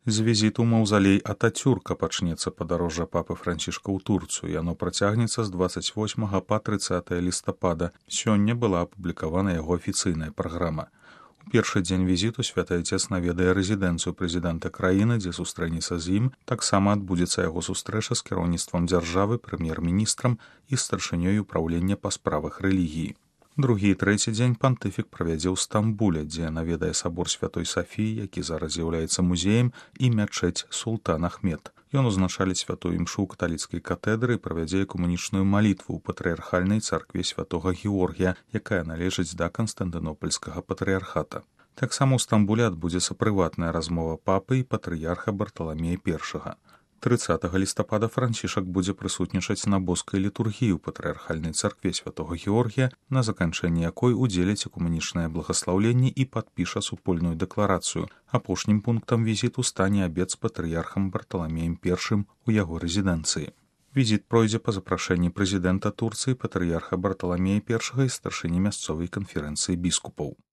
З візіту ў маўзалей Атацюрка пачнецца падарожжа папы Францішка ў Турцыю. Яно працягнецца з 28 па 30 лістапада. Сёння была апублікавана яго афіцыйная праграма. У першы дзень візіту святы Айцец наведае рэзідэнцыю прэзідэнта краіны, дзе сустрэнецца з ім. Таксама адбудзецца яго сустрэча з кіраўніцтвам дзяржавы, прэм'ер-міністрам і старшынёй упраўлення па справах рэлігіі. Другі і трэці дзень пантыфік правядзе ў Стамбуле, дзе наведае сабор Святой Сафіі, які зараз з'яўляецца музеем, і мячэць Султан Ахмед. Ён узначаліць святую імшу ў каталіцкай катедры і правядзе экумэнічную малітву ў патрыярхальнай царкве святога Георгія, якая належыць да Канстантынопольскага патрыярхата. Таксама ў Стамбуле адбудзецца прыватная размова папы і патрыярха Барталамея I. 30 лістапада Францішак будзе прысутнічаць на боскай літургіі ў патрыярхальнай царкве святога Георгія, на заканчэнні якой удзеляць экумэнічнае благаслаўленне і падпіша супольную дэкларацыю. Апошнім пунктам візіту стане абед з патрыярхам Барталамеем I у яго рэзідэнцыі. Візіт пройдзе па запрашэнні прэзідэнта Турцыі, патрыярха Барталамея I і старшыні мясцовай канферэнцыі біскупаў.